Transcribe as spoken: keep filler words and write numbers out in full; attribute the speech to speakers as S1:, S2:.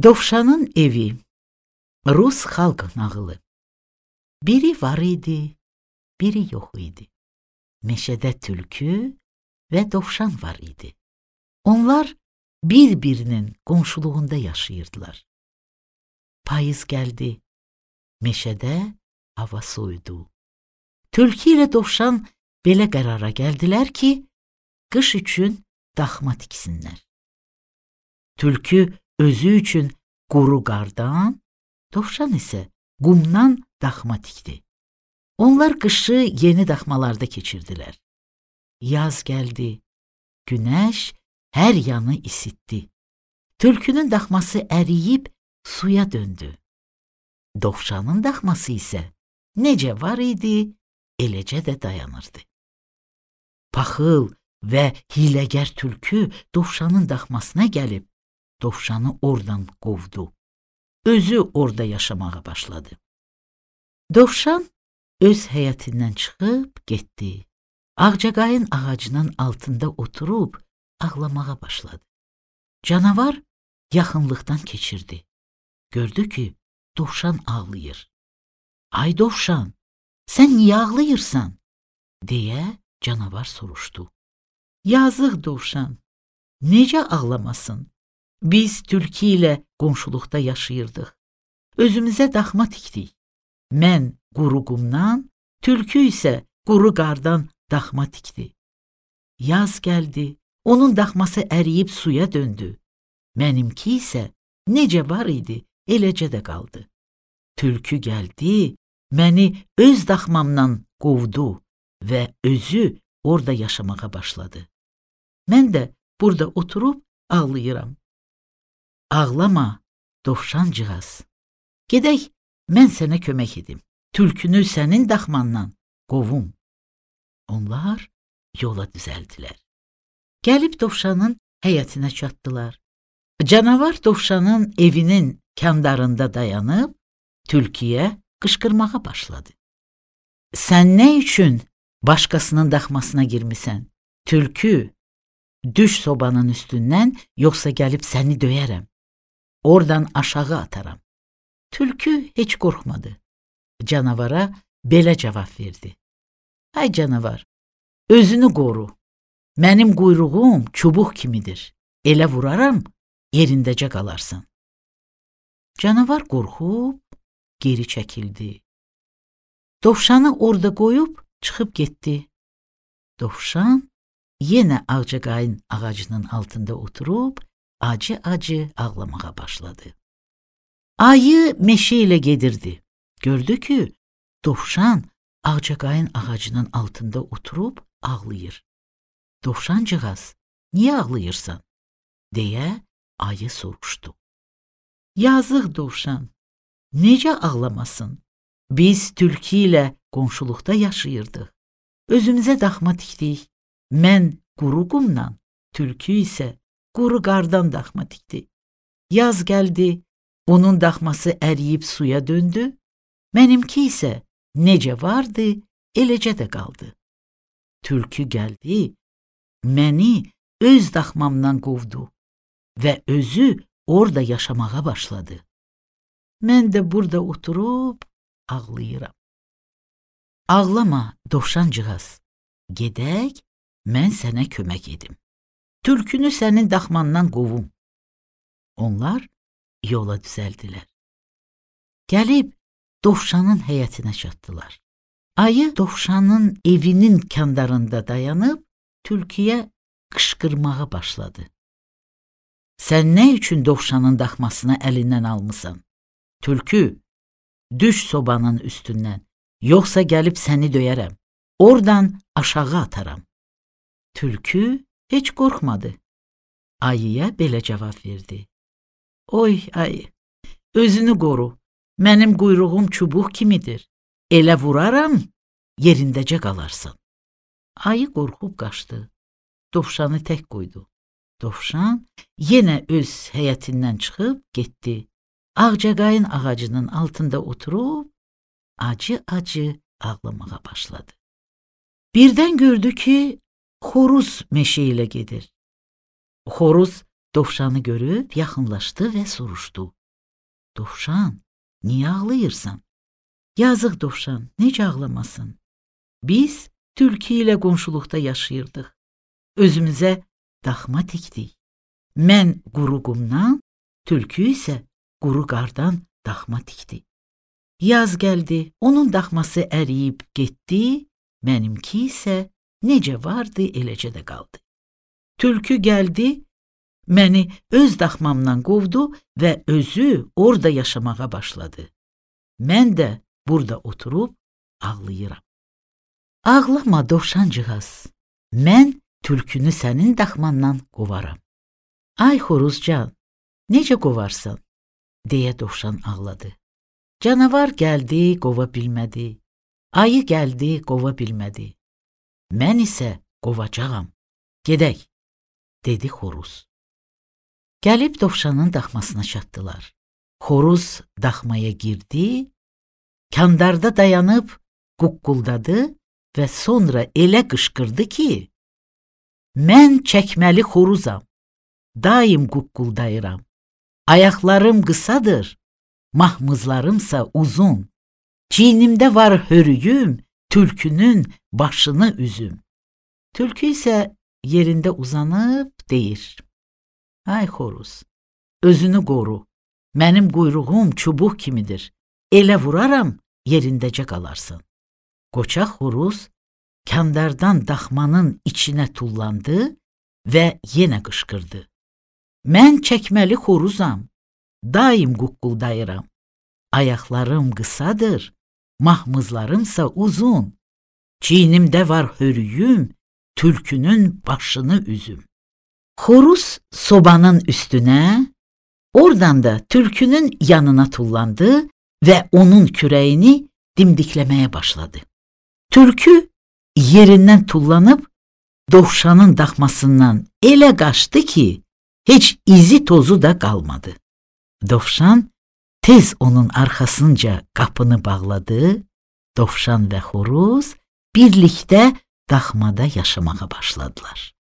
S1: Dovşanın evi. Rus xalq nağılı. Biri var idi, biri yox idi. Meşədə tülkü və dovşan var idi. Onlar bir-birinin qonşuluğunda yaşayırdılar. Payız gəldi. Meşədə hava soyudu. Tülkü ilə dovşan belə qərara gəldilər ki, qış üçün daxma tiksinlər. Tülkü özü üçün quru qardan, dovşan isə qumdan daxma tikdi. Onlar qışı yeni daxmalarda keçirdilər. Yaz gəldi, günəş hər yanı isitdi. Tülkünün daxması əriyib suya döndü. Dovşanın daxması isə necə var idi, eləcə də dayanırdı. Paxıl və hiləgər tülkü dovşanın daxmasına gəlib, dovşanı oradan qovdu. Özü orada yaşamağa başladı. Dovşan öz həyətindən çıxıb getdi. Ağcaqayın ağacının altında oturub ağlamağa başladı. Canavar yaxınlıqdan keçirdi. Gördü ki, dovşan ağlayır. "Ay dovşan, sən niyə ağlayırsan?" deyə canavar soruşdu. "Yazıq dovşan, necə ağlamasın? Biz tülkü ilə qonşuluqda yaşayırdıq. Özümüzə daxma tikdik. Mən quru qumdan, tülkü isə quru qardan daxma tikdi. Yaz gəldi, onun daxması əriyib suya döndü. Mənimki isə necə var idi, eləcə də qaldı. Tülkü gəldi, məni öz daxmamdan qovdu və özü orada yaşamağa başladı. Mən də burada oturub ağlayıram. Ağlama, dovşancığaz. Gedək, mən sənə kömək edim. Tülkünü sənin daxmandan qovum." Onlar yola düzəldilər. Gəlib dovşanın həyətinə çatdılar. Canavar dovşanın evinin kəndarında dayanıb, tülküyə qışqırmağa başladı. "Sən nə üçün başqasının daxmasına girmisən? Tülkü, düş sobanın üstündən, yoxsa gəlib səni döyərəm. Oradan aşağı ataram." Tülkü heç qorxmadı. Canavara belə cavab verdi. "Ay canavar, özünü qoru. Mənim quyruğum çubuq kimidir. Elə vuraram, yerindəcə qalarsan." Canavar qorxub geri çəkildi. Dovşanı orada qoyub çıxıb getdi. Dovşan yenə ağcaqayın ağacının altında oturub acı-acı ağlamağa başladı. Ayı meşə ilə gedirdi. Gördü ki, dovşan ağcaqayın ağacının altında oturub ağlayır. "Dovşancığaz, niyə ağlayırsan?" deyə ayı soruşdu. "Yazıq dovşan, necə ağlamasın? Biz tülkü ilə qonşuluqda yaşayırdıq. Özümüzə daxma tikdik. Mən quru qumdan, tülkü isə quru qardan daxma tikdi. Yaz gəldi, onun daxması əriyib suya döndü. Mənimki isə necə vardı, eləcə də qaldı. Tülkü gəldi, məni öz daxmamdan qovdu və özü orada yaşamağa başladı. Mən də burada oturub ağlayıram. Ağlama, dovşancığaz. Gedək, mən sənə kömək edim. Tülkünü sənin daxmandan qovum." Onlar yola düzəldilər. Gəlib dovşanın həyətinə çatdılar. Ayı dovşanın evinin kəndarında dayanıb tülküyə qışqırmağa başladı. "Sən nə üçün dovşanın daxmasını əlindən almısan? Tülkü, düş sobanın üstündən, yoxsa gəlib səni döyərəm. Oradan aşağı ataram." Tülkü heç qorxmadı. Ayıya belə cavab verdi. "Oy ayı, özünü qoru. Mənim quyruğum çubuq kimidir. Elə vuraram, yerindəcə qalarsan." Ayı qorxub qaçdı. Dovşanı tək qoydu. Dovşan yenə öz həyətindən çıxıb getdi. Ağcaqayın ağacının altında oturub acı-acı ağlamağa başladı. Birdən gördü ki, xoruz meşə ilə gedir. Xoruz dovşanı görüb yaxınlaşdı və soruşdu. Dovşan, niyə ağlayırsan? Yazıq dovşan, necə ağlamasın? Biz tülkü ilə qonşuluqda yaşayırdıq. Özümüzə daxma tikdik. Mən quru qumdan, tülkü isə quru qardan daxma tikdi. Yaz gəldi, onun daxması əriyib getdi, mənimki isə necə vardı, eləcə də qaldı. Tülkü gəldi, məni öz daxmamdan qovdu və özü orada yaşamağa başladı. Mən də burada oturub ağlayıram. Ağlama dovşancığaz, mən tülkünü sənin daxmandan qovaram. Ay xoruzcan, necə qovarsan? Deyə dovşan ağladı. Canavar gəldi, qova bilmədi. Ayı gəldi, qova bilmədi. Mən isə qovacağam. Gedək, dedi xoruz. Gəlib dovşanın daxmasına çatdılar. Xoruz daxmaya girdi, kandarda dayanıb quqquldadı və sonra elə qışqırdı ki, mən çəkməli xoruzam, daim quqquldayıram. Ayaqlarım qısadır, mahmızlarımsa uzun. Çiynimdə var hörüyüm, tülkünün başını üzüm. Tülkü isə yerində uzanıb deyir. Ay xoruz, özünü qoru, mənim quyruğum çubuq kimidir. Elə vuraram, yerindəcə qalarsan. Qoça xoruz kandardan daxmanın içinə tullandı və yenə qışqırdı. Mən çəkməli xoruzam, daim quqquldayıram. Ayaqlarım qısadır, mahmızlarımsa uzun. Çiynimdə var hörüyüm, tülkünün başını üzüm. Xoruz sobanın üstünə, oradan da tülkünün yanına tullandı və onun kürəyini dimdikləməyə başladı. Tülkü yerindən tullanıb dovşanın daxmasından elə qaçdı ki, heç izi tozu da qalmadı. Dovşan tez onun arxasınca qapını bağladı, dovşan və xoruz birlikdə daxmada yaşamağa başladılar.